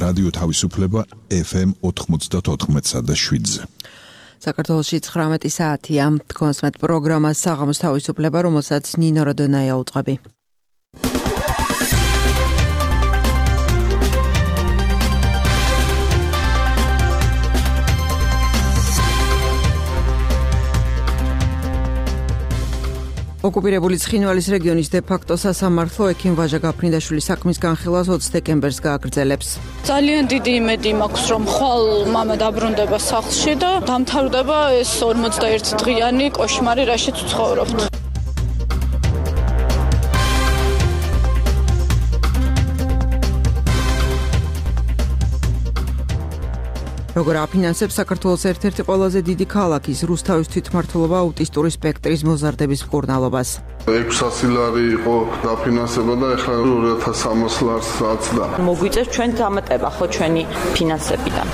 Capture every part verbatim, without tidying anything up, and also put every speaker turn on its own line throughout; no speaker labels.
რადიო თავისუფლება ეფ ემ ოთხმოცდაოთხ და შვიდზე.
საქართველოში ცხრამეტი საათია. თქვენს მეტ პროგრამას საღამოს თავისუფლება, რომელსაც ნინო როდონაია უწყები. ოკუპირებული ცხინვალის რეგიონის დე-ფაქტო სასამართლო ექიმ ვაჟა გაფრინდაშვილის საქმის განხილვას ოცი დეკემბერს გააგრძელებს.
ძალიან დიდი იმედი მაქვს, რომ ხვალ მამა დაბრუნდება სახლში და დამთავრდება ეს ორმოცდაერთი დღიანი კოშმარი, რაშიც ვცხოვრობთ. როგორ აფინანსებს საქართველოს ერთ-ერთი ყველაზე დიდი ქალაქის რუსთავის თვითმმართველობა აუტისტური სპექტრის მოზარდების მკურნალობას.
ექვსასი ლარი იყო დაფინანსება და ეხლა ორი ათას სამას ლარს აცდა.
მოგვიწევს ჩვენ დამატება ხო ჩვენი ფინანსებიდან.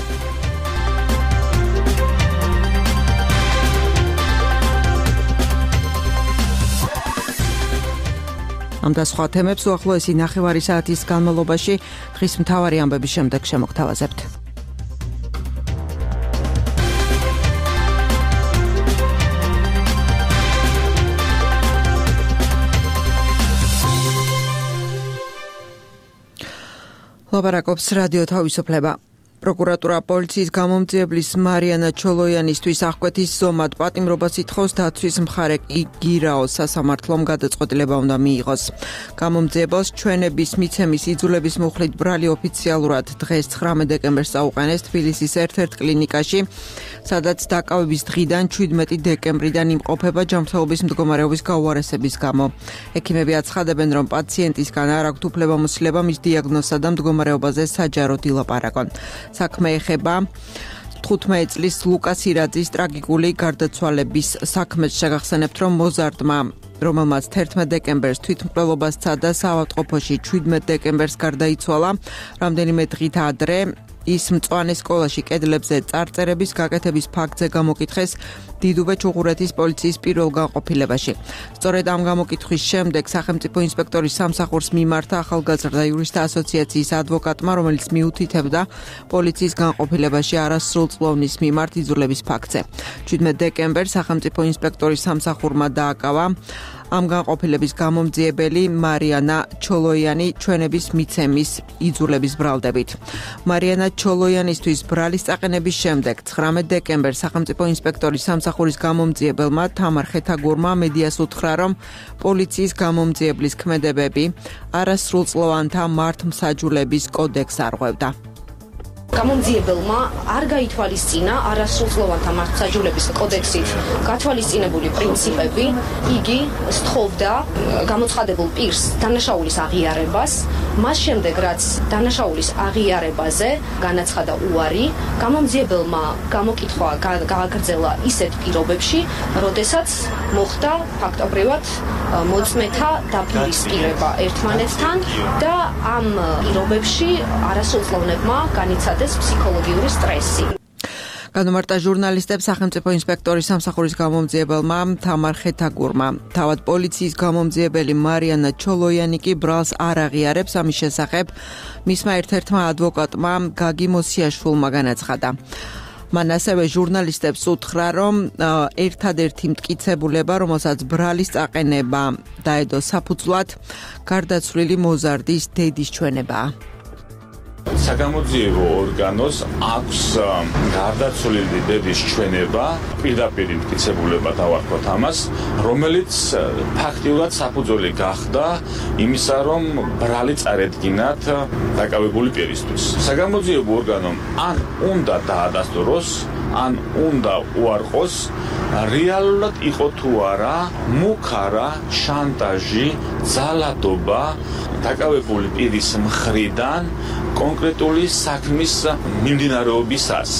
ამ და სხვა თემებს უახლოესი ნახევარი საათის განმავლობაში დღის მთავარი ამბების შემდეგ შემოგთავაზებთ. ლაპარაკობს რადიო თავისუფლება. პროკურატურა პოლიციის გამომძიებლის მარიანა ჩოლოიანისთვის აღკვეთის ზომად პატიმრობას ითხოვს დაცვის მხარე იგირაოს სასამართლომ გადაწყვეტილება უნდა მიიღოს. გამომძიებელს ჩვენების მიცემის იძულების მუხლით ბრალი ოფიციალურად დღეს ცხრამეტი დეკემბერს აუყენეს თბილისის ერთ-ერთ კლინიკაში, სადაც დაკავების დღიდან შვიდმეტი დეკემბრიდან იმყოფება ჯანმრთელობის მდგომარეობის გაუარესების გამო. ექიმები აცხადებენ, რომ პაციენტისგან არ აქვთ უფლებამოსილება მის დიაგნოზსა და მდგომარეობაზე საჯაროდ ილაპარაკონ. საქმე ეხება თხუთმეტი წლის ლუკას ირაძის ტრაგიკული გარდაცვალების საქმეს. შეგახსენებთ, რომ მოზარდმა, რომელმაც თერთმეტი დეკემბერს თვითმკვლელობა სცადა, საავადმყოფოში შვიდმეტი დეკემბერს გარდაიცვალა. რამდენიმე დღით ადრე ის მწვანე სკოლაში კედლებზე წარწერების გაკეთების ფაქტზე გამოკითხეს დიდუბე ჩუღურეთის პოლიციის პირველ განყოფილებაში. სწორედ ამ გამოკითხვის შემდეგ სახელმწიფო ინსპექტორის სამსახურს მიმართა ახალგაზრდა იურისტთა ასოციაციის ადვოკატმა, რომელიც მიუთითებდა პოლიციის განყოფილებაში არასრულწლოვნის მიმართ იძულების ფაქტზე. შვიდმეტი დეკემბერს სახელმწიფო ინსპექტორის სამსახურმა დააკავა ამ განყოფილების გამომძიებელი მარიანა ჩოლოიანი ჩვენების მიცემის იძულების ბრალდებით. მარიანა ჩოლოიანისთვის ბრალის წაყენების შემდეგ ცხრამეტი დეკემბერს სახელმწიფო ინსპექტორის სამსახურის გამომძიებელმა თამარ ხეთაგურმა მედიას უთხრა, რომ პოლიციის გამომძიებლის ქმედებები არასრულწლოვანთა მართლმსაჯულების კოდექსს არღვევდა.
გამომძიებელმა არ გაითვალისწინა არასრულწლოვანთა მართლმსაჯულების კოდექსით გათვალისწინებული პრინციპები. იგი სთხოვდა გამოცხადებულ პირს დანაშაულის აღიარებას. მას შემდეგ, რაც დანაშაულის აღიარებაზე განაცხადა უარი, გამომძიებელმა გამოკითხვა გააგრძელა ისეთ პირობებში, როდესაც მოხდა ფაქტობრივად მოწმეთა დაპირისპირება ერთმანეთთან და ამ პირობებში არასრულწლოვნებმა განიცადა ფსიქოლოგიური სტრესი.
განმარტა ჟურნალისტებს სახელმწიფო ინსპექტორის სამსახურის გამომძიებელმა თამარ ხეთაგურმა. თავად პოლიციის გამომძიებელი მარიანა ჩოლოიანი კი ბრალს არ აღიარებს. ამის შესახებ მისმა ერთ-ერთმა ადვოკატმა გაგი მოსიაშვილმა განაცხადა. მან ასევე ჟურნალისტებს უთხრა, რომ ერთადერთი მტკიცებულება, რომელსაც ბრალის წაყენება დაედო საფუძვლად, გარდაცვლილი მოზარდის დედის ჩვენებაა.
საგამოძიებო ორგანოს აქვს გარდაცვლილი დედის ჩვენება, პირდაპირ მტკიცებულება დავარქვათ ამას, რომელიც ფაქტიურად საფუძველი გახდა იმისა, რომ ბრალი წარედგინათ დაკავებული პირისთვის. საგამოძიებო ორგანომ ან უნდა დაადასტუროს, ან უნდა უარყოს, რეალურად იყო თუ არა მუქარა შანტაჟი, ძალადობა დაკავებული პირის მხრიდან კონკრეტული საქმის მიმდინარეობისას.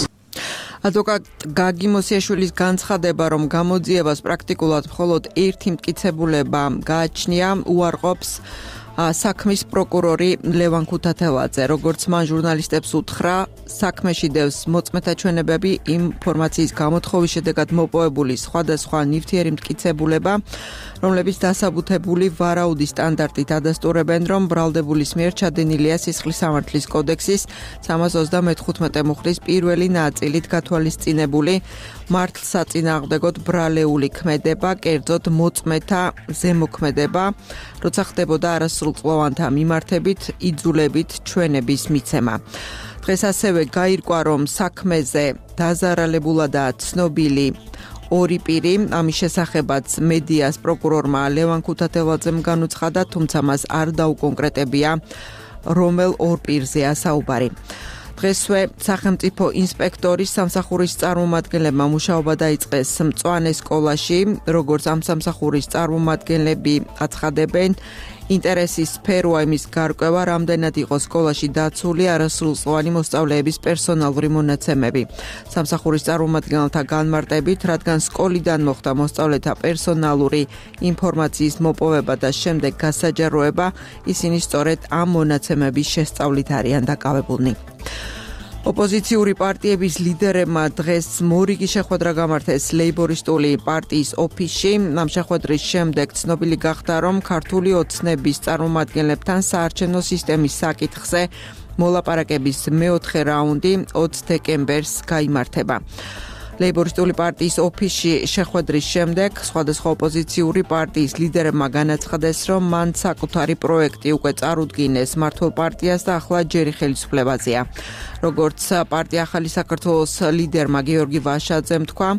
ადვოკატ გაგი მოსიაშვილის განცხადება, რომ გამოძიებას პრაქტიკულად მხოლოდ ერთი მტკიცებულება გააჩნია, უარყოფს საქმის პროკურორი ლევან ქუთათელაძე, როგორც მან ჟურნალისტებს უთხრა, საქმეში დევს მოწმეთა ჩვენებები ინფორმაციის გამოთხოვის შედეგად მოპოვებული სხვადასხვა ნივთიერი მტკიცებულება, რომლებიც დასაბუთებული ვარაუდის სტანდარტით ადასტურებენ, რომ ბრალდებულის მიერ ჩადენილია სისხლის სამართლის კოდექსის სამას ოცდამოთხმეტე მუხლის პირველი ნაწილით გათვალისწინებული მართლსაწინააღმდეგოდ ბრალეული ქმედება, კერძოდ მოწმეთა ზემოქმედება, როცა ხდებოდა არასრულწლოვანთა მიმართებით იძულებით ჩვენების მიცემა. დღეს ასევე გაირკვა, რომ საქმეზე დაზარალებულადაა ცნობილი ორი პირი, ამის შესახებაც მედიას პროკურორმა ლევან ქუთათელაძემ განუცხადა, თუმცა მას არ დაუკონკრეტებია, რომელ ორ პირზეა საუბარი. დღესვე სახელმწიფო ინსპექტორის სამსახურის წარმომადგენლებმა მუშაობა დაიწყეს მწვანე სკოლაში, როგორც ამ სამსახურის წარმომადგენლები აცხადებენ, ინტერესის სფეროა იმის გარკვევა, რამდენად იყო სკოლაში დაცული არასრულწლოვანი მოსწავლეების პერსონალური მონაცემები. სამსახურის წარმომადგენელთა განმარტებით, რადგან სკოლიდან მოხდა მოსწავლეთა პერსონალური ინფორმაციის მოპოვება და შემდეგ გასაჯაროება, ისინი სწორედ ამ მონაცემების შესწავლით არიან დაკავებულნი. ოპოზიციური პარტიების ლიდერებმა დღეს მორიგი შეხვედრა გამართეს ლეიბორისტული პარტიის ოფისში. ამ შეხვედრის შემდეგ ცნობილი გახდა, რომ ქართული ოცნების წარმომადგენლებთან საარჩევნო სისტემის საკითხზე მოლაპარაკების მეოთხე რაუნდი ოცი დეკემბერს გაიმართება. ლეიბორისტული პარტიის ოფისში შეხვედრის შემდეგ სხვადასხვა ოპოზიციური პარტიის ლიდერებმა განაცხადეს, რომ მან საკუთარი პროექტი უკვე წარუდგინეს მმართველ პარტიას და ახლა ჯერი ხელისუფლებაზეა. როგორც პარტია ახალი საქართველოს ლიდერმა გიორგი ვაშაძემ თქვა,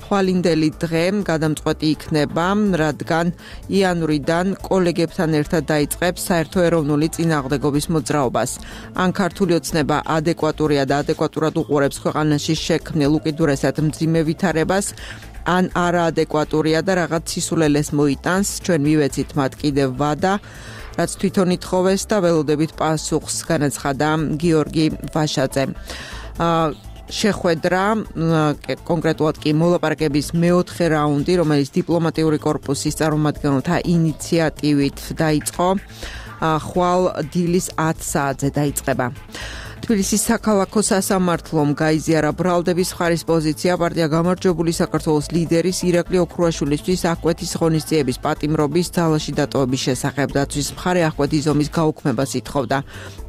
ხვალინდელი დღე გადამწყვეტი იქნება, რადგან იანვრიდან კოლეგებთან ერთად დაიწყებს საერთო ეროვნული წინააღმდეგობის მოძრაობას. ან ქართული ოცნება ადეკვატურია და ადეკვატურად უყურებს ქვეყანაში შექმნილ უკიდურესად მძიმე ვითარებას, ან არაადეკვატურია და რაღაც სისულელეს მოიტანს, ჩვენ მივეცით მათ კიდევ ვადა, რაც თვითონ ითხოვეს და ველოდებით პასუხს განაცხადა გიორგი ვაშაძე. შეხვედრა, კონკრეტულად კი მოლაპარაკების მეოთხე რაუნდი, რომელიც დიპლომატიური კორპუსის წარმომადგენელთა ინიციატივით დაიწყო, ხვალ დილის ათი საათზე დაიწყება. თბილისის საქალაქო სასამართლომ გაიზიარა ბრალდების მხარის პოზიცია პარტია გამარჯვებული საქართველოს ლიდერის ირაკლი ოქრუაშვილისთვის აღკვეთის ღონისძიების პატიმრობის ძალაში დატოვების შესახებ. დაცვის მხარე აღკვეთის ზომის გაუქმებას ითხოვდა.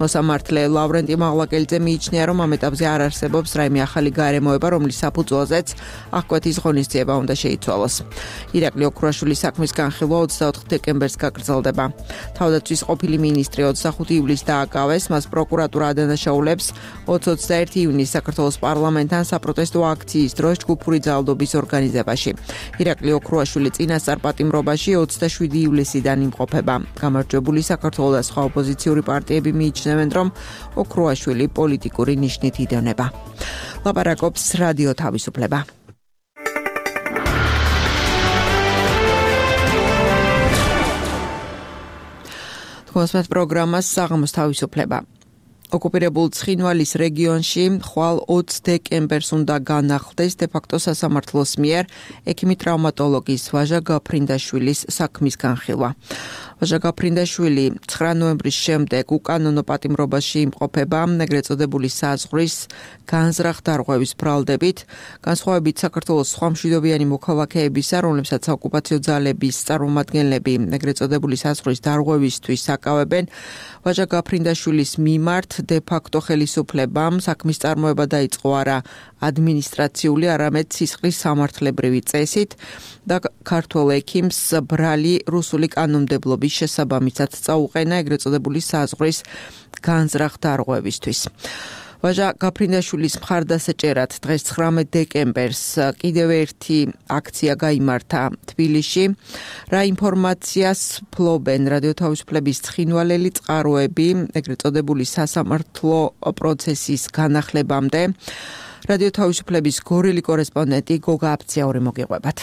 მოსამართლე ლავრენტი მაღლაკელიძე მიიჩნია, რომ ამ ეტაპზე არ არსებობს რაიმე ახალი გარემოება, რომლის საფუძველზეც აღკვეთის ღონისძიება უნდა შეიცვალოს. ირაკლი ოქრუაშვილის საქმის განხილვა ოცდაოთხ დეკემბერს გაგრძელდება. თავდაცვის ყოფილი მინისტრი ოცდახუთი ივლისს დააკავეს, მას პროკურატურა ადანაშაულებს ოცი ოცდაერთი ივნისს საქართველოს პარლამენტთან საპროტესტო აქციის დროს ჯგუფური ძალადობის ორგანიზებაში. ირაკლი ოქრუაშვილი წინასწარ პატიმრობაში ოცდაშვიდი ივლისიდან იმყოფება. გამარჯვებული საქართველოს და სხვა ოპოზიციური პარტიები მიიჩნევენ, რომ ოქრუაშვილი პოლიტიკური ნიშნით იდევნება. ლაპარაკობს რადიო თავისუფლება. თქვენს პროგრამას საღამოს თავისუფლება. ოკუპირებულ ცხინვალის რეგიონში ხვალ ოცი დეკემბერს უნდა განახლდეს დე-ფაქტო სასამართლოს მიერ ექიმი ტრავმატოლოგის ვაჟა გაფრინდაშვილის საქმის განხილვა. ვაჟა გაფრინდაშვილი ცხრა ნოემბრის შემდეგ უკანონო პატიმრობაში იმყოფება ეგრეთ წოდებული საზღვრის განზრახ დარღვევის ბრალდებით, განსხვავებით საქართველოს სხვა მშვიდობიანი მოქალაქეებისა, რომლებსაც ოკუპაციო ძალების წარმომადგენლები ეგრეთ წოდებული საზღვრის დარღვევისთვის აკავებენ, ვაჟა გაფრინდაშვილის მიმართ დე-ფაქტო ხელისუფლებამ საქმის წარმოება დაიწყო არა ადმინისტრაციული, არამედ სისხლის სამართლებრივი წესით და ქართველ ექიმს ბრალი რუსული კანონმდებლობის შესაბამისად წაუყენა ეგრეთ წოდებული საზღვრის განზრახ დარღვევისთვის. ვაჟა გაფრინდაშვილის მხარდასაჭერად დღეს ცხრამეტ დეკემბერს კიდევ ერთი აქცია გაიმართა თბილისში. რა ინფორმაციას ფლობენ რადიო თავისუფლების ცხინვალელი წყაროები ეგრეთ წოდებული სასამართლო პროცესის განახლებამდე. რადიო თავისუფლების გორელი კორესპონდენტი გოგა აფციური მოგიყვებათ.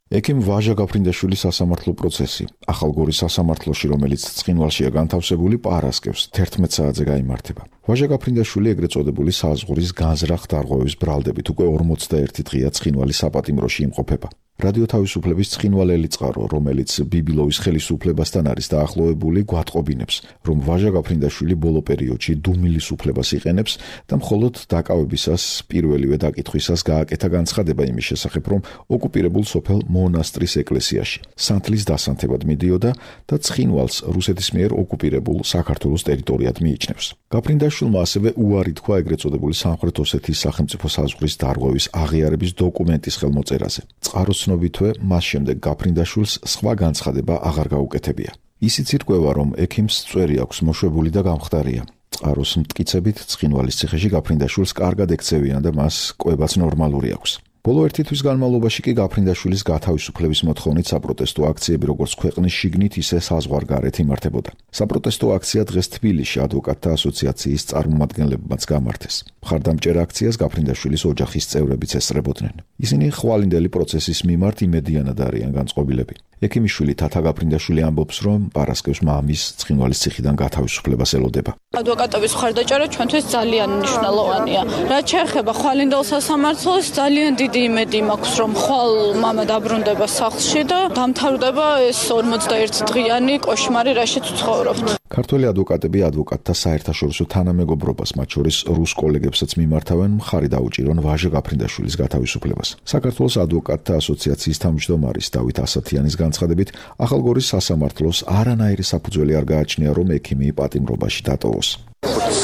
ექიმ ვაჟა გაფრინდაშვილის სასამართლო პროცესი ახალგორის სასამართლოში, რომელიც ცხინვალშია განთავსებული, პარასკევს თერთმეტ საათზე გაიმართება. ვაჟა გაფრინდაშვილი ეგრეთ წოდებული საზღვრის განზრახ დარღვევის ბრალდებით უკვე ორმოცდაერთი დღეა ცხინვალის საპატიმროში იმყოფება. რადიო თავისუფლების ცხინვალელი წყარო, რომელიც ბიბილოვის ხელისუფლებასთან არის დაახლოებული, გვატყობინებს, რომ ვაჟა გაფრინდაშვილი ბოლო პერიოდში დუმილის უფლებას იყენებს და მხოლოდ დაკავებისას პირველივე დაკითხვისას გააკეთა განცხადება იმის შესახებ, რომ ოკუპირებულ სოფელ მონასტრის ეკლესიაში სანთლის დასანთებად მიდიოდა და ცხინვალს რუსეთის მიერ ოკუპირებულ საქართველოს ტერიტორიად მიიჩნევს. გაფრინდაშვილმა ასევე უარი თქვა ეგრეთ წოდებული სამხრეთ ოსეთის სახელმწიფო საზღვრის დარღვევის აღიარების დოკუმენტის ხელმოწერაზე. წყაროს ცნობითვე, მას შემდეგ გაფრინდაშვილს სხვა განცხადება აღარ გაუკეთებია. ისიც ირკვევა, რომ ექიმს წვერი აქვს მოშვებული და გამხდარია. წყაროს მტკიცებით, ცხინვალის ციხეში გაფრინდაშვილს კარგად ექცევიან და მას კვებაც ნორმალური აქვს. ბოლო ერთი თვის განმავლობაში კი გაფრინდაშვილის გათავისუფლების მოთხოვნით საპროტესტო აქციები როგორც ქვეყნის შიგნით, ისე საზღვარგარეთ იმართებოდა. საპროტესტო აქცია დღეს თბილისში ადვოკატთა ასოციაციის წარმომადგენლებმაც გამართეს. მხარდამჭერ აქციას გაფრინდაშვილის ოჯახის წევრებიც ესწრებოდნენ. ისინი ხვალინდელი პროცესის მიმართ იმედიანად არიან განწყობილები. ექიმიშვილი თათა გაფრინდაშვილი ამბობს, რომ პარასკევს მამის ცხინვალის ციხიდან გათავისუფლებას ელოდება.
ადვოკატების მხარდაჭერა ჩვენთვის ძალიან მნიშვნელოვანია. რაც შეეხება ხვალინდელ სასამართლოს, ძალიან დიდი იმედი მაქვს, რომ ხვალ მამა დაბრუნდება სახლში და დამთავრდება ეს ორმოცდაერთი დღიანი კოშმარი, რაშიც ვცხოვრობთ.
ქართველი ადვოკატები ადვოკატთა საერთაშორისო თანამეგობრობას, მათ შორის რუს კოლეგებსაც მიმართავენ მხარი დაუჭირონ ვაჟა გაფრინდაშვილის გათავისუფლებას. საქართველოს ადვოკატთა ასოციაციის თავმჯდომარის დავით ასათიანის განცხადებით, ახალგორის სასამართლოს არანაირი საფუძველი არ გააჩნია, რომ ექიმი პატიმრობაში დატოვოს.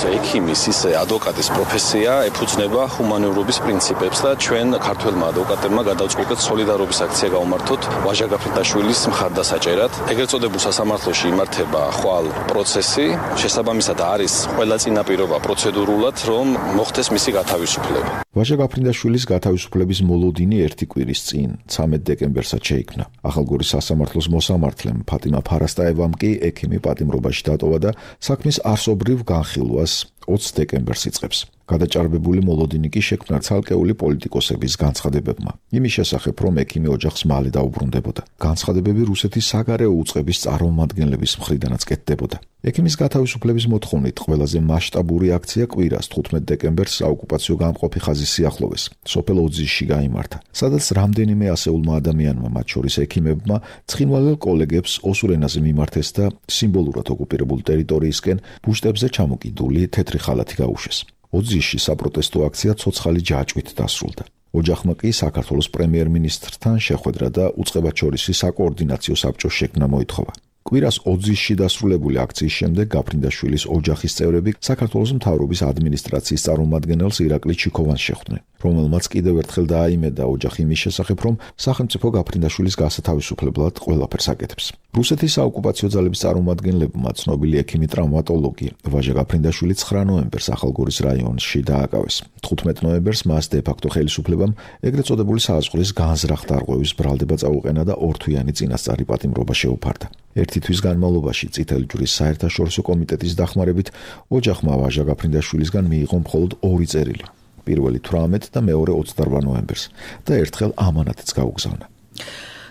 ექიმის ისე ადვოკატის პროფესია ეფუძნება ჰუმანურობის პრინციპებს და ჩვენ ქართველმა ადვოკატებმა გადავწყვიტეთ სოლიდარობის აქცია გავმართოთ ვაჟა გაფრინდაშვილის მხარდასაჭერად. ეგრეთ წოდებულ სასამართლოში იმართება ხვალ პროცესი, შესაბამისად არის ყველა წინაპირობა პროცედურულად, რომ მოხდეს მისი გათავისუფლება.
ვაჟა გაფრინდაშვილის გათავისუფლების მოლოდინი ერთი კვირის წინ, ცამეტ დეკემბერსაც შეიქმნა. ახალგორის სასამართლოს მოსამართლემ ფატიმა ფარასტაევამ კი ექიმი პატიმრობაში დატოვა და საქმის არსობრივ განხილვას ოცს დეკემბერს იწყებს. გადაჭარბებული მოლოდინი კი შექმნა ცალკეული პოლიტიკოსების განცხადებებმა. იმის შესახებ, რომ ექიმი ოჯახს მალე დაუბრუნდებოდა. განცხადებები რუსეთის საგარეო უწყების წარმომადგენლების მხრიდანაც კეთდებოდა. ექიმის გათავისუფლების მოთხოვნით ყველაზე მასშტაბური აქცია კვირას თხუთმეტ დეკემბერს საოკუპაციო გამყოფი ხაზის სიახლოვეს, სოფელ ოძისში გაიმართა, სადაც რამდენიმე ასეულმა ადამიანმა, მათ შორის ექიმებმა, ცხინვალელ კოლეგებს ოსურ ენაზე მიმართეს და სიმბოლურად ოკუპირებულ ტერიტორიისკენ ბუშტებზე ჩამოკიდული თეთრი ხალათი გაუშვეს. ოძისში საპროტესტო აქცია ცოცხალი ჯაჭვით დასრულდა. ოჯახმა კი საქართველოს პრემიერ-მინისტრთან შეხვედრა და უწყებაჩორისი საკოორდინაციო საბჭოს შექმნა მოითხოვა. კვირას ოძისში დასრულებული აქციის შემდეგ გაფრინდაშვილის ოჯახის წევრები საქართველოს მთავრობის ადმინისტრაციის წარმომადგენელს ირაკლი ჩიქოვანს შეხვდნენ, რომელმაც კიდევ ერთხელ დააიმედა ოჯახი იმის შესახებ, რომ სახელმწიფო გაფრინდაშვილის გასათავისუფლებლად ყველაფერს აკეთებს. რუსეთის საოკუპაციო ძალების წარმომადგენლებმა ცნობილი ექიმი ტრავმატოლოგი ვაჟა გაფრინდაშვილი ცხრა ნოემბერს ახალგორის რაიონში დააკავეს. თხუთმეტ ნოემბერს მას დე-ფაქტო ხელისუფლებამ ეგრეთ წოდებული საზღვრის განზრახ დარღვევის ბრალდება წაუყენა და ორთვიანი წინასწარი პატიმრობა შეუფარდა. ერთი თვის განმავლობაში წითელი ჯვრის საერთაშორისო კომიტეტის დახმარებით ოჯახმა ვაჟა გაფრინდაშვილისგან მიიღო მხოლოდ ორი წერილი. პირველი თვრამეტ და მეორე ოცდარვა ნოემბერს და ერთხელ ამანათიც გაუგზავნა.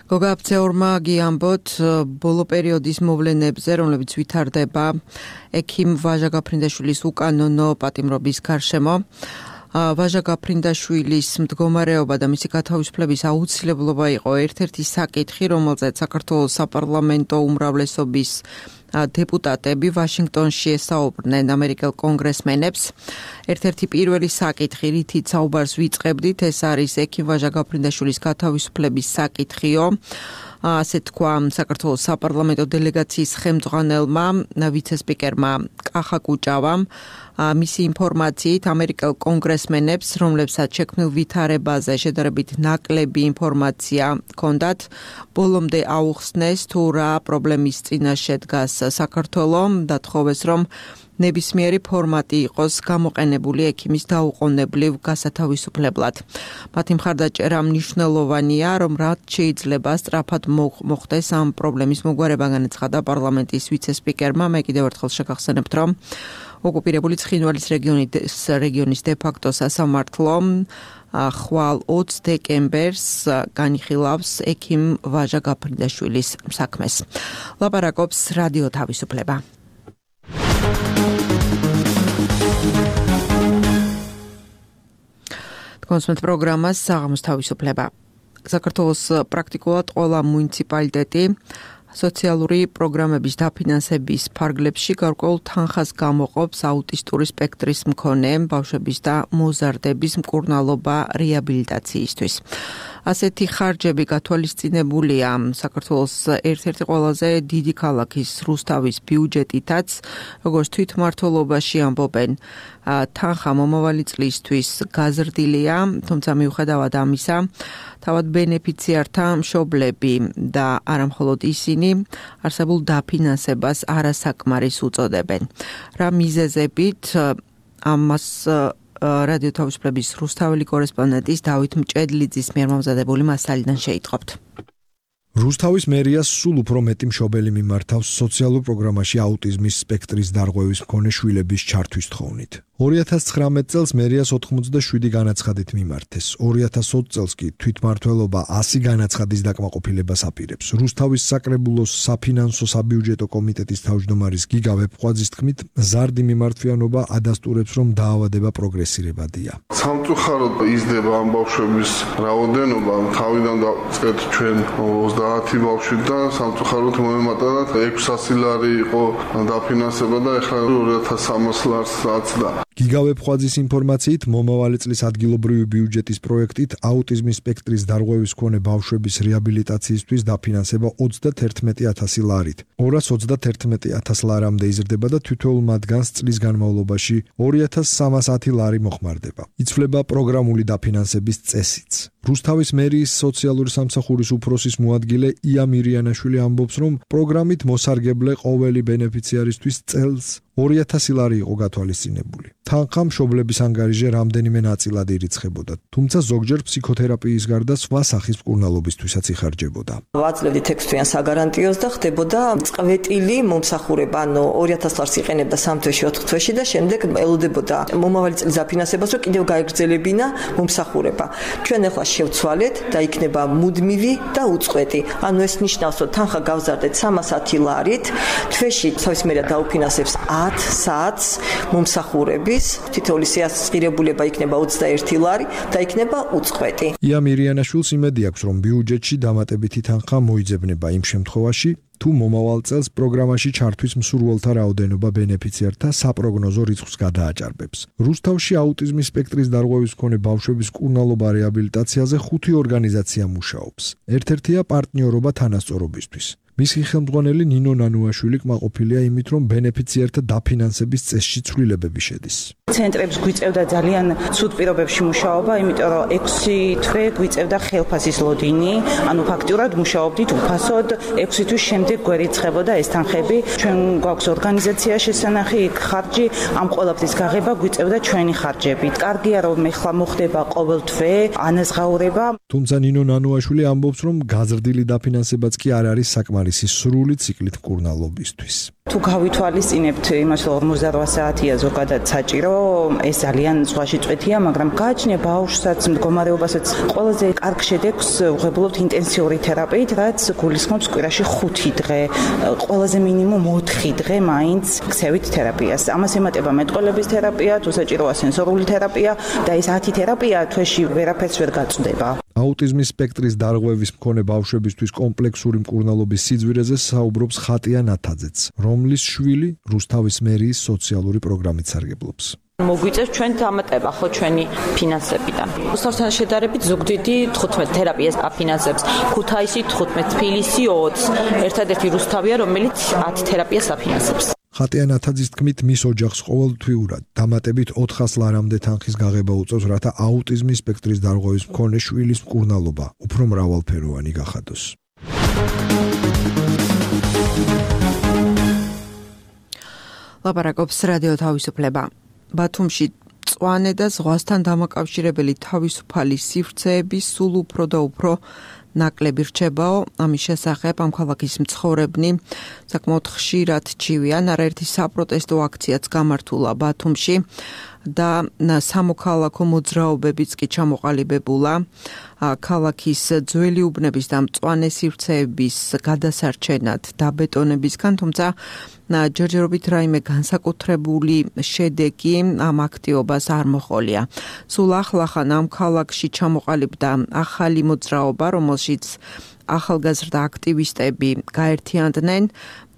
გოგა აბცეორმა გიამბოთ ბოლო პერიოდის მოვლენებზე, რომლებიც ვითარდება ექიმ ვაჟა გაფრინდაშვილის უკანონო პატიმრობის გარშემო. ვაჟა გაფრინდაშვილის მდგომარეობა და მისი გათავისუფლების აუცილებლობა იყო ერთ-ერთი საკითხი, რომელზეც საქართველოს საპარლამენტო უმრავლესობის დეპუტატები ვაშინგტონში ესაუბრნენ ამერიკელ კონგრესმენებს. ერთ-ერთი პირველი საკითხი, რითიც საუბარს ვიწყებდით, ეს არის ექიმ ვაჟა გაფრინდაშვილის გათავისუფლების საკითხიო. ასე თქვა საქართველოს საპარლამენტო დელეგაციის ხელმძღვანელმა ვიცე-სპიკერმა კახა კუჭავამ. მისი ინფორმაციით ამერიკელ კონგრესმენებს, რომლებსაც შექმნილ ვითარებაზე შედარებით ნაკლები ინფორმაცია ჰქონდათ, ბოლომდე აუხსნეს თუ რა პრობლემის წინაშე დგას საქართველო და თხოვეს, რომ ნებისმიერი ფორმატი იყოს გამოყენებული ექიმის დაუყოვნებლივ გასათავისუფლებლად. მათი მხარდაჭერა მნიშვნელოვანია, რომ რაც შეიძლება სწრაფად მოხდეს ამ პრობლემის მოგვარება, განაცხადა პარლამენტის ვიცე-სპიკერმა. მე კიდევ ერთხელ შეგახსენებთ, რომ ოკუპირებული ცხინვალის რეგიონის რეგიონის დე-ფაქტო სასამართლო ხვალ ოცს დეკემბერს განიხილავს ექიმ ვაჟა გაფრინდაშვილის საქმეს. ლაპარაკობს რადიო თავისუფლება. გონსმენთ პროგრამას საღამოს თავისუფლება. საქართველოს პრაქტიკულად ყველა მუნიციპალიტეტი სოციალური პროგრამების დაფინანსების ფარგლებში გარკვეულ თანხას გამოყოფს აუტისტური სპექტრის მქონე ბავშვების და მოზარდების მკურნალობა რეაბილიტაციისთვის. ასეთი ხარჯები გათვალისწინებულია საქართველოს ერთ-ერთი ყველაზე დიდი ქალაქის რუსთავის ბიუჯეტითაც, როგორც თვითმმართველობაში ამბობენ, თანხა მომავალი წლისთვის გაზრდილია, თუმცა მიუხედავად ამისა, თავად ბენეფიციართა მშობლები და არა მხოლოდ ისინი არსებულ დაფინანსებას არასაკმარის უწოდებენ. რა მიზეზებით ამას რადიო თავისუფლების რუსთაველი კორესპონდენტის დავით მჭედლიძის მიერ მომზადებული მასალიდან შეიტყობთ.
რუსთავის მერიას სულ უფრო მეტი მშობელი მიმართავს სოციალურ პროგრამაში აუტიზმის სპექტრის დარღვევის მქონე შვილების ჩართვის თხოვნით. ორი ათას ცხრამეტ წელს მერიას ოთხმოცდაშვიდი განაცხადით მიმართეს. ორი ათას ოცი წელს კი თვითმმართველობა ასი განაცხადის დაკმაყოფილებას აპირებს. რუსთავის საკრებულოს საფინანსო საბიუჯეტო კომიტეტის თავმჯდომარის გიგა ვეფხვაძის თქმით, მზარდი მიმართვიანობა ადასტურებს, რომ დაავადება პროგრესირებადია.
სამწუხაროდ იზრდება ამ ბავშვების რაოდენობა. თავიდან დავწყეთ ჩვენ ოცდაათი ბავშვი და სამწუხაროდ მოემატა ექვსასი ლარი იყო დაფინანსება და ეხლა ორი ათას სამას ლარს აცდა.
გიგა ვეფხვაძის ინფორმაციით, მომავალი წლის ადგილობრივი ბიუჯეტის პროექტით აუტიზმის სპექტრის დარღვევის მქონე ბავშვების რეაბილიტაციისთვის დაფინანსება ოცდაათი ათასი ლარით. ორას ოცდაათი ათას ლარამდე იზრდება და თითოეულ მათგანს წლის განმავლობაში ორი ათას სამას ათი ლარი მოხმარდება. იცვლება პროგრამული დაფინანსების წესიც. რუსთავის მერიის სოციალური სამსახურის უფროსის მოადგილე ია მირიანაშვილი ამბობს, რომ პროგრამით მოსარგებლე ყოველი ბენეფიციარისთვის წელს ორი ათასი ლარი იყო გათვალისწინებული. თანხა მშობლების ანგარიჟზე რამდენიმე ნაწილად ირიცხებოდა, თუმცა ზოგჯერ ფსიქოთერაპიის გარდა სხვა სახის მკურნალობისთვისაც იხარჯებოდა.
ვაძლევდით ექვს თვიან საგარანტიოს და ხდებოდა წყვეტილი მომსახურება, ანუ ორი ათას ლარს იყენებდა სამ თვეში, ოთხ თვეში და შემდეგ ელოდებოდა მომავალი წლის დაფინანსებას, რომ კიდევ გაეგრძელებინა მომსახურება. ჩვენ ახლა შევცვალეთ და იქნება მუდმივი და უწყვეტი. ანუ ეს ნიშნავს, რომ თანხა გავზარდეთ სამას ათი ლარით, თვეში თავისმერად დაუფინანსებს ათ საათს მომსახურების, თითოეული სიასწირებულება იქნება ოცდაერთი ლარი და იქნება უწყვეტი.
ია მირიანაშვილს იმედი აქვს, რომ ბიუჯეტში დამატებითი თანხა მოიძებნება იმ შემთხვევაში, თუ მომავალ წელს პროგრამაში ჩართვის მსურველთა რაოდენობა ბენეფიციართა საპროგნოზო რიცხვს გადააჭარბებს. რუსთავში აუტიზმის სპექტრის დარღვევის მქონე ბავშვების მკურნალობა რეაბილიტაციაზე ხუთი ორგანიზაცია მუშაობს. ერთ-ერთია პარტნიორობა თანასწორობისთვის. მისი ხელმძღვანელი ნინო ნანუაშვილი კმაყოფილია იმით, რომ ბენეფიციართა დაფინანსების წესში ცვლილებები შედის.
ცენტრებს გვიწევდა ძალიან ცუდ პირობებში მუშაობა, იმიტომ რომ ექვსი თვე გვიწევდა ხელფასის ლოდინი, ანუ ფაქტიურად მუშაობდით უფასოდ, ექვსი თვის შემდეგ გვერიცხებოდა ეს თანხები. ჩვენ გვაქვს ორგანიზაცია შესანახი, იქ ხარჯი, ამ ყველაფრის გაღება გვიწევდა ჩვენი ხარჯებით. კარგია, რომ ეხლა მოხდება ყოველ თვე ანაზღაურება.
თუმცა ნინო ნანუაშვილი ამბობს, რომ გაზრდილი დაფინანსებაც კი არ არის საკმარისი სრული ციკლით მკურნალობისთვის.
თუ გავითვალისწინებთ იმას, რომ ორმოცდაოთხ საათია ზოგადად საჭირო, ეს ძალიან ზღვაში წვეთია, მაგრამ გააჩნია ბავშვსაც, მდგომარეობასაც ყველაზე კარგ შედეგს ვღებულობთ ინტენსიური თერაპიით, რაც გულისხმობს კვირაში ხუთი დღე, ყველაზე მინიმუმ ოთხი დღე მაინც ქცევით თერაპიას. ამას ემატება მეტყველების თერაპია, თუ საჭიროა სენსორული თერაპია და ეს ათი თერაპია თვეში ვერაფერს ვერ გაწვდება.
აუტიზმის სპექტრის დარღვევის მქონე ბავშვებისთვის კომპლექსური მკურნალობის სიძვირეზე საუბრობს ხატია ნათაძეც, რომლის შვილი რუსთავის მერიის სოციალური პროგრამით სარგებლობს.
მოგვიწევს ჩვენ დამატება ხო ჩვენი ფინანსებიდან. რუსთავთან შედარებით ზუგდიდი თხუთმეტ თერაპიას აფინანსებს, ქუთაისი თხუთმეტ, თბილისი ოცი. ერთადერთი რუსთავია, რომელიც ათი თერაპიას აფინანსებს.
ხატია ნათაძის თქმით, მის ოჯახს ყოველთვიურად დამატებით ოთხას ლარამდე თანხის გაღება უწევს, რათა აუტიზმის სპექტრის დარღვევის მქონე შვილის მკურნალობა უფრო მრავალფეროვანი გახადოს.
ლაპარაკობს რადიო თავისუფლება. ბათუმში მწვანე და ზღვასთან დამაკავშირებელი თავისუფალი სივრცეები სულ უფრო და უფრო ნაკლები რჩებაო. ამის შესახებ ამ ქალაქის მცხოვრებნი საკმაოდ ხშირად ჩივიან. არაერთი საპროტესტო აქციაც გამართულა ბათუმში. და სამოქალაქო მოძრაობებიც კი ჩამოყალიბებულა ქალაქის ძველი უბნების და მწვანე სივრცეების გადასარჩენად დაბეტონებისგან, თუმცა ჯერჯერობით რაიმე განსაკუთრებული შედეგი ამ აქტივობას არ მოჰყოლია. სულ ახლახან ამ ქალაქში ჩამოყალიბდა ახალი მოძრაობა, რომელშიც ახალგაზრდა აქტივისტები გაერთიანდნენ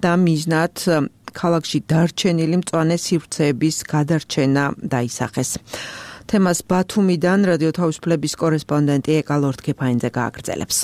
და მიზნად ქალაქში დარჩენილი მწვანე სივრცეების გადარჩენა დაისახეს. თემას ბათუმიდან რადიო თავისუფლების კორესპონდენტი ეკა ლორთქეფაინძე გააგრძელებს.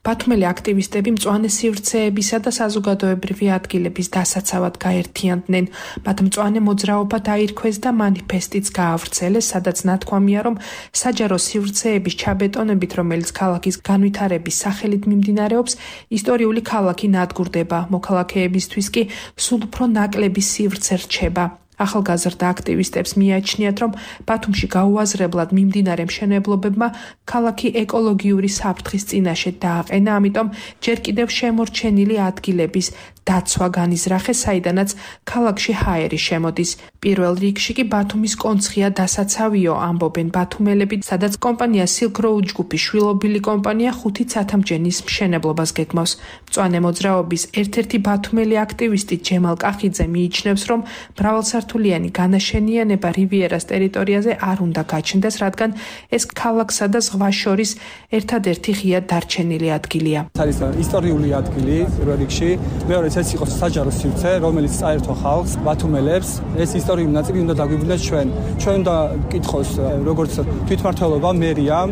ბათუმელი აქტივისტები მწვანე სივრცეებისა და საზოგადოებრივი ადგილების დასაცავად გაერთიანდნენ. მათ მწვანე მოძრაობა დაირქვეს და მანიფესტიც გაავრცელეს, სადაც ნათქვამია, რომ საჯარო სივრცეების ჩაბეტონებით, რომელიც ქალაქის განვითარების სახელით მიმდინარეობს, ისტორიული ქალაქი ნადგურდება. მოქალაქეებისთვის კი სულ უფრო ნაკლები სივრცე რჩება. ახალგაზრდა აქტივისტებს მიაჩნიათ, რომ ბათუმში გაუაზრებლად მიმდინარე მშენებლობებმა ქალაქი ეკოლოგიური საფრთხის წინაშე დააყენა, ამიტომ ჯერ კიდევ შემორჩენილი ადგილების დაცვა განიზრახეს, საიდანაც ქალაქში ჰაერი შემოდის. პირველ რიგში კი ბათუმის კონცხია დასაცავიო, ამბობენ ბათუმელები, სადაც კომპანია Silk Road ჯგუფის შვილობილი კომპანია ხუთი ცათამჯენის მშენებლობას გეგმავს. მწვანე მოძრაობის ერთ-ერთი ბათუმელი აქტივისტი ჯემალ კახიძე მიიჩნევს, რომ მრავალსართულიანი განაშენიანება რივიერას ტერიტორიაზე არ უნდა გაჩნდეს, რადგან ეს ქალაქსა და ზღვას შორის ერთადერთი ღია დარჩენილი ადგილია.
არის ისტორიული ადგილი პირველ რიგში, მეორე ეს იყოს საჯარო სივრცე, რომელიც წაერთვა ხალხს, ბათუმელებს. ეს ისტორიული ნაწილი უნდა დაგვიბრუნდეს ჩვენ. ჩვენ უნდა გკითხოს როგორც თვითმმართველობა, მერიამ,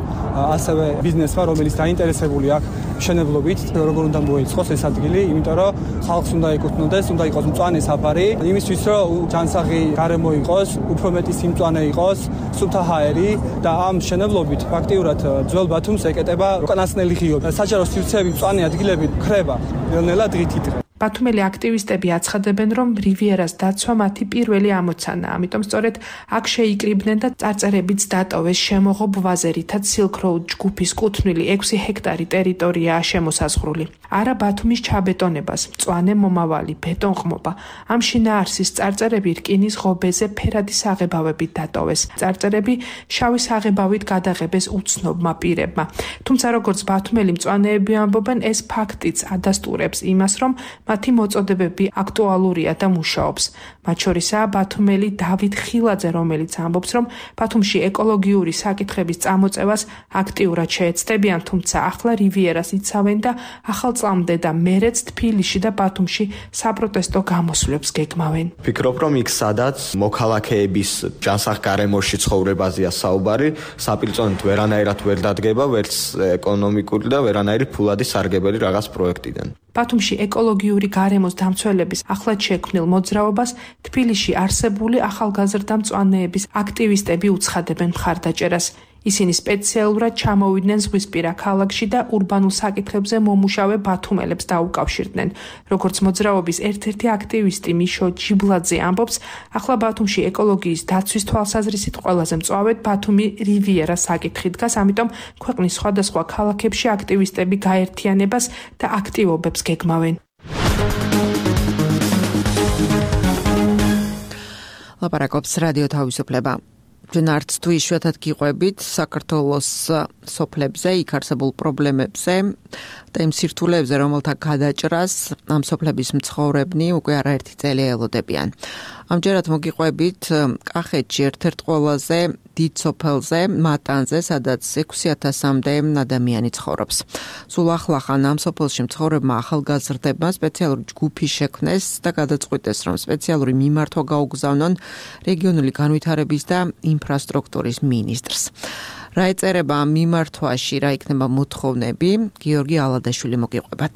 ასევე ბიზნესმა, რომელიც დაინტერესებული აქვს მშენებლობით, როგორ უნდა მოეწყოს ეს ადგილი, იმიტომ რომ ხალხს უნდა ეკუთვნოდეს, უნდა იყოს მწვანე საფარი, იმისთვის რომ ჯანსაღი გარემო იყოს, უფრო მეტი სიმწვანე იყოს, სუფთა ჰაერი და ამ მშენებლობით ფაქტიურად ძველ ბათუმს ეკეტება უკანასკნელი ღიობი. საჯარო სივრცეები, მწვანე ადგილები ქრება ნელ-ნელა დღითი დღე.
ბათუმელი აქტივისტები აცხადებენ, რომ რივიერას დაცვა მათი პირველი ამოცანაა, ამიტომ სწორედ აქ შეიკრიბნენ და წარწერებიც დატოვეს შემოღობ ვაზე, რითაც Silk Road ჯგუფის კუთვნილი ექვსი ჰექტარი ტერიტორიაა შემოსაზღვრული. არა ბათუმის ჩაბეტონებას, მწვანე მომავალი, ბეტონყმობა. ამ შინაარსის წარწერები რკინის ღობეზე ფერადი საღებავებით დატოვეს. წარწერები შავი საღებავით გადაღებეს უცნობმა პირებმა. თუმცა როგორც ბათუმელი მწვანეები ამბობენ, ეს ფაქტიც ადასტურებს იმას, რომ მათი მოწოდებები აქტუალურია და მუშაობს. მათ შორისაა ბათუმელი დავით ხილაძე, რომელიც ამბობს, რომ ბათუმში ეკოლოგიური საკითხების წამოწევას აქტიურად შეეცდებიან, თუმცა ახლა რივიერას იცავენ და ახალ წლამდე და მერეც თბილისში და ბათუმში საპროტესტო გამოსვლებს გეგმავენ.
ვფიქრობ, რომ იქ სადაც მოქალაქეების ჯანსაღ გარემოში ცხოვრებაზეა საუბარი, საპირწონედ ვერანაირად ვერ დადგება, ვერც ეკონომიკური და ვერანაირი ფულადი სარგებელი რაღაც პროექტიდან.
ბათუმში ეკოლოგიური გარემოს დამცველების ახლად შექმნილ მოძრაობას თბილისში არსებული ახალგაზრდა მწვანეების აქტივისტები უცხადებენ მხარდაჭერას. ისინი სპეციალურად ჩამოვიდნენ ზღვისპირა ქალაქში და ურბანულ საკითხებზე მომუშავე ბათუმელებს დაუკავშირდნენ. როგორც მოძრაობის ერთ-ერთი აქტივისტი მიშო ჯიბლაძე ამბობს, ახლა ბათუმში ეკოლოგიის დაცვის თვალსაზრისით ყველაზე მწვავედ ბათუმი რივიერა საკითხი დგას, ამიტომ ქვეყნის სხვადასხვა ქალაქებში აქტივისტები გაერთიანებას და აქტივობებს გეგმავენ.
ლაპარაკობს რადიო თავისუფლება. ჯნარც თუ იშვიათად გიყვებით საქართველოს სოფლებზე, იქ არსებულ პრობლემებზე და იმ სირთულეებზე, რომელთა გადაჭრას ამ სოფლების მცხოვრებნი უკვე არაერთი წელი ელოდებიან. ამჯერად მოგიყვებით კახეთში ერთ-ერთ ყველაზე დიდ სოფელზე, მატანზე, სადაც ექვსი ათასამდე ადამიანი ცხოვრობს. სულ ახლახან ამ სოფელში მცხოვრებმა ახალგაზრდებმა სპეციალური ჯგუფი შექმნეს და გადაწყვიტეს, რომ სპეციალური მიმართვა გაუგზავნონ რეგიონული განვითარების და ინფრასტრუქტურის მინისტრს. რა ეწერება ამ მიმართვაში, რა იქნება მოთხოვნები, გიორგი ალადაშვილი მოგიყვებათ.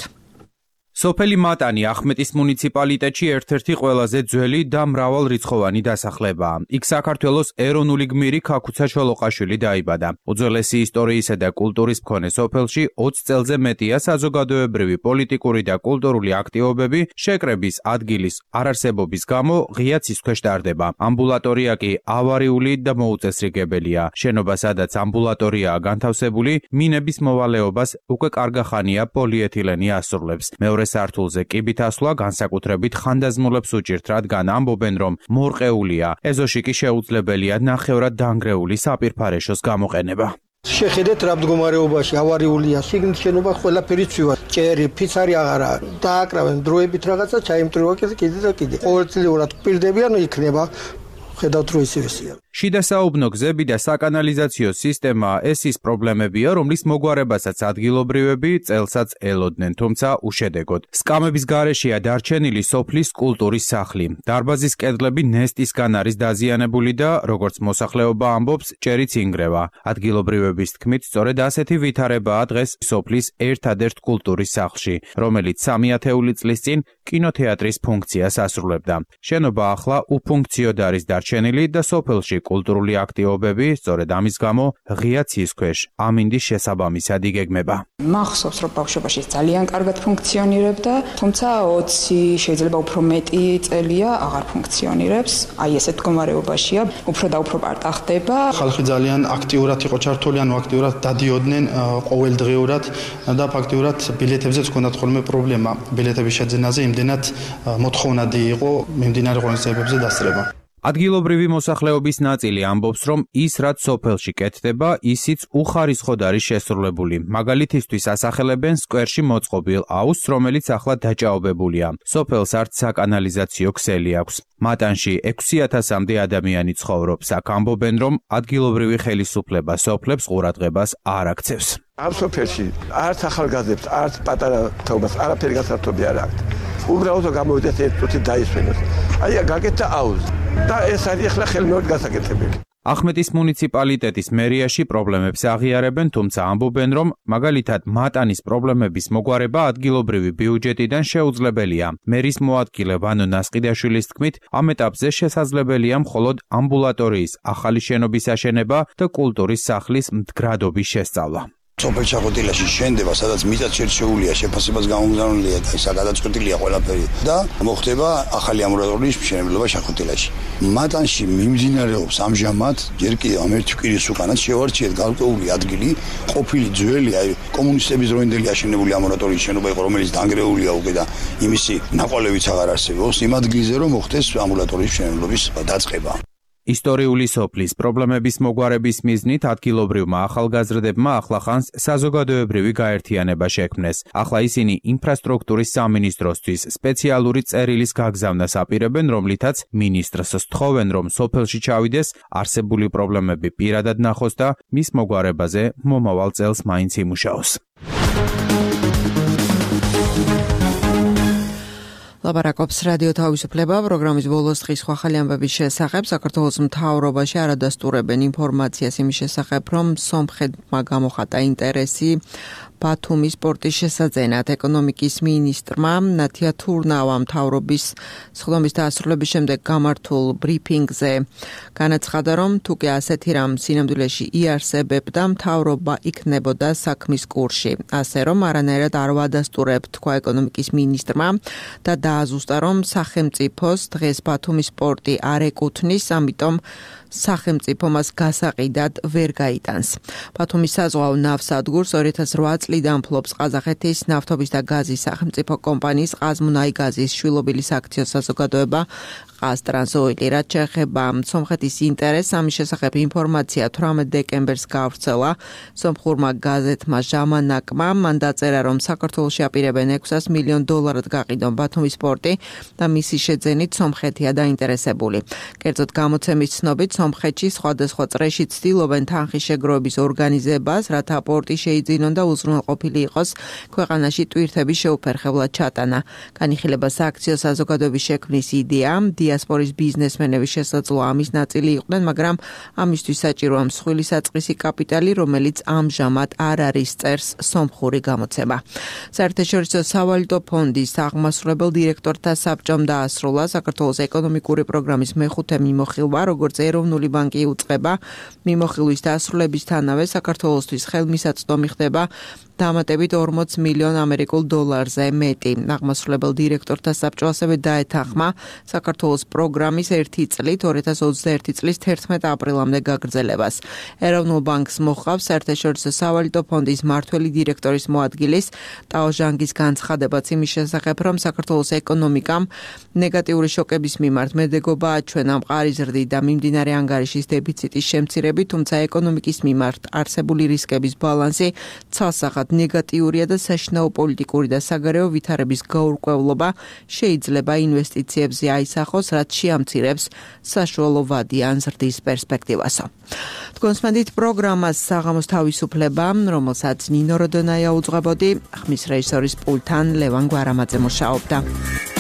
სოფელი მატანი ახმეტის მუნიციპალიტეტში ერთ-ერთი ყველაზე ძველი და მრავალრიცხოვანი დასახლებაა. იქ საქართველოს ეროვნული გმირი ქაქუცა ჩოლოყაშვილი დაიბადა. უძველესი ისტორიისა და კულტურის მქონე სოფელში ოცი წელზე მეტია საზოგადოებრივი, პოლიტიკური და კულტურული აქტივობები შეკრების ადგილის არარსებობის გამო ღია ცის ქვეშ ტარდება. ამბულატორია კი ავარიული და მოუწესრიგებელია. შენობა, სადაც ამბულატორიაა განთავსებული, მინების მოვალეობას უკვე კარგა ხანია პოლიეთილენი ასრულებს. მეორე მესამე სართულზე კიბით ასვლა განსაკუთრებით ხანდაზმულებს უჭირთ, რადგან ამბობენ, რომ მორყეულია. ეზოში კი შეუძლებელია ნახევრად დანგრეული საპირფარეშოს გამოყენება.
შეხედეთ რა მდგომარეობაში ავარიულია შიგნით შენობა ყველაფერი ცვივა ჭერი ფიცარი აღარა დააკრავენ დროებით რაღაცა ჩაიმტრივა კიდე და კიდე ყოველწლიურად პირდებიან იქნება ხედავთ რომ ისევესია
შიდა საუბნო გზები და საკანალიზაციო სისტემა ეს ის პრობლემებია, რომლის მოგვარებასაც ადგილობრივები წელსაც ელოდნენ, თუმცა უშედეგოდ. სკამების გარეშეა დარჩენილი სოფლის კულტურის სახლი. დარბაზის კედლები ნესტისგან არის დაზიანებული და, როგორც მოსახლეობა ამბობს, ჭერიც ინგრევა. ადგილობრივების თქმით, სწორედ ასეთი ვითარებაა დღეს სოფლის ერთადერთ კულტურის სახლში, რომელიც სამი ათეული წლის წინ კინოთეატრის ფუნქციას ასრულებდა. შენობა ახლა უფუნქციოდ არის დარჩენილი და სოფელში კულტურული აქტივობები, სწორედ ამის გამო ღია ცის ქვეშ ამინდის შესაბამისად იგეგმება.
მახსოვს, რომ ბავშვობაში ძალიან კარგად ფუნქციონირებდა, თუმცა ოცი შეიძლება უფრო მეტი წელია აღარ ფუნქციონირებს. აი ესეთ მდგომარეობაშია, უფრო და უფრო პარტა ხდება.
ხალხი ძალიან აქტიურად იყო ჩართული, ანუ აქტიურად დადიოდნენ ყოველდღიურად და ფაქტიურად ბილეთებზეც ჰქონდათ ხოლმე პრობლემა. ბილეთების შეძენაზე იმდენად მოთხოვნადი იყო მიმდინარე ღონისძიებებზე დასწრება.
ადგილობრივი მოსახლეობის ნაწილი ამბობს, რომ ის რაც სოფელში კეთდება, ისიც უხარისხოდ არის შესრულებული. მაგალითისთვის ასახელებენ სკვერში მოწყობილ აუზს, რომელიც ახლა დაჭაობებულია. სოფელს არც საკანალიზაციო ქსელი აქვს. მატანში ექვსი ათასამდე ადამიანი ცხოვრობს. აქ ამბობენ, რომ ადგილობრივი ხელისუფლება სოფლებს ყურადღებას არ აქცევს.
ამ სოფელში არც ახალგაზრდებს, არც პატარა თაობას არაფერი გასართობი არ აქვს. უბრალოდ გამოვიდეს ერთ წუთი დაისვენოს. აი გაკეთდა აუზი და ეს არის ახლა ხელმეორედ გასაკეთებელი.
ახმეტის მუნიციპალიტეტის მერიაში პრობლემებს აღიარებენ, თუმცა ამბობენ, რომ მაგალითად მატანის პრობლემების მოგვარება ადგილობრივი ბიუჯეტიდან შეუძლებელია. მერის მოადგილე ვანო ნასყიდაშვილის თქმით, ამ ეტაპზე შესაძლებელია მხოლოდ ამბულატორიის ახალი შენობის აშენება და კულტურის სახლის მდგრადობის შესწავლა.
სოფელ ჩაყოტილაში შენდება, სადაც მიწაც შერჩეულია, შეფასებას გამომგზავნილია და ისა გადაწყვეტილია ყველაფერი და მოხდება ახალი ამბულატორიის მშენებლობა ჩაყოტილაში. მატანში მიმდინარეობს ამჟამად ჯერ კიდევ ამ ერთი კვირის უკანაც შევარჩიეთ გარკვეული ადგილი, ყოფილი ძველი აი კომუნისტების დროინდელი აშენებული ამბულატორიის შენობა იყო, რომელიც დანგრეულია უკვე და იმისი ნაკვალევიც აღარ არსებობს. იმ ადგილზე რომ მოხდეს ამბულატორიის მშენებლობის დაწყება.
ისტორიული სოფლის პრობლემების მოგვარების მიზნით ადგილობრივმა ახალგაზრდებმა ახლახანს საზოგადოებრივი გაერთიანება შექმნეს. ახლა ისინი ინფრასტრუქტურის სამინისტროსთვის სპეციალური წერილის გაგზავნას აპირებენ, რომლითაც მინისტრს სთხოვენ, რომ სოფელში ჩავიდეს, არსებული პრობლემები პირადად ნახოს და მის მოგვარებაზე მომავალ წელს მაინც იმუშაოს.
ლაპარაკობს რადიო თავისუფლება პროგრამის ბოლოს დღის სხვა ხალი ამბების შესახებ. საქართველოს მთავრობაში არადასტურებენ ინფორმაციას იმის შესახებ, რომ სომხეთმა გამოხატა ინტერესი ბათუმის პორტის შესაძენად. ეკონომიკის მინისტრმა ნათია თურნავამ მთავრობის სხდომის დასრულების შემდეგ გამართულ ბრიფინგზე განაცხადა, რომ თუ კი ასეთი რამ სინამდვილეში იარსებებდა, მთავრობა იქნებოდა საქმის კურსში. ასე რომ არანაირად არ ვადასტურებთ, თქვა ეკონომიკის მინისტრმა და დააზუსტა, რომ სახელმწიფოს დღეს ბათუმის პორტი არ ეკუთვნის, ამიტომ სახელმწიფო მას გასაყიდად ვერ გაიტანს. ბათუმის საზღვაო ნავსადგურს ორი ათას ოთხ წლიდან ფლობს ყაზახეთის ნავთობის და გაზის სახელმწიფო კომპანიის ყაზმუნაიგაზის შვილობილის აქციო საზოგადოება ყაზტრანსოილი. რაც შეეხება სომხეთის ინტერესს, ამის შესახებ ინფორმაცია თვრამეტ დეკემბერს გავრცელა სომხურმა გაზეთმა ჟამანაკმა. მან დაწერა, რომ საქართველოში აპირებენ ექვსას მილიონ დოლარად გაყიდონ ბათუმის პორტი და მისი შეძენით სომხეთია დაინტერესებული. კერძოდ გამოცემის ცნობით სომხეთში სხვადასხვა წრეში ცდილობენ თანხის შეგროვების ორგანიზებას, რათა პორტი შეიძინონ და უზრუნველყოფილი იყოს ქვეყანაში ტვირთების შეუფერხებლად ჩატანა. განიხილება სააქციო საზოგადოების შექმნის იდეა. დიასპორის ბიზნესმენების შესაძლოა ამის ნაწილი იყვნენ, მაგრამ ამისთვის საჭიროა მსხვილი საწყისი კაპიტალი, რომელიც ამჟამად არ არის წერს სომხური გამოცემა. საერთაშორისო სავალუტო ფონდის აღმასრულებელ დირექტორთა საბჭომ დაასრულა საქართველოს ეკონომიკური პროგრამის მეხუთე მიმოხილვა, როგორც ეროვნული ბანკი უწყება მიმოხილვის დასრულებისთანავე საქართველოსთვის ხელმისაწვდომი ხდება დამატებით ორმოც მილიონ ამერიკულ დოლარზე მეტი. აღმასრულებელ დირექტორთა საბჭო ასევე დაეთანხმა საქართველოს პროგრამის ერთი წლით ორი ათას ოცდაერთი წლის თერთმეტ აპრილამდე გაგრძელებას. ეროვნულ ბანკს მოჰყავს საერთაშორისო სავალუტო ფონდის მმართველი დირექტორის მოადგილის ტაო ჟანგის განცხადებაც იმის შესახებ, რომ საქართველოს ეკონომიკამ ნეგატიური შოკების მიმართ მედეგობა აჩვენა მყარი ზრდით და მიმდინარე ანგარიშის დეფიციტის შემცირებით, თუმცა ეკონომიკის მიმართ არსებული რისკების ბალანსი ცალსახად ნეგატიურია და საშინაო პოლიტიკური და საგარეო ვითარების გაურკვევლობა შეიძლება ინვესტიციებზე აისახოს, რაც შეამცირებს საშუალო ვადიან ზრდის პერსპექტივასო. თქვენსმენდით პროგრამას საღამოს თავისუფლება, რომელსაც ნინო როდონაია უძღვებოდი, ხმის რეჟისორის პულტთან ლევან გვარამაძე მუშაობდა.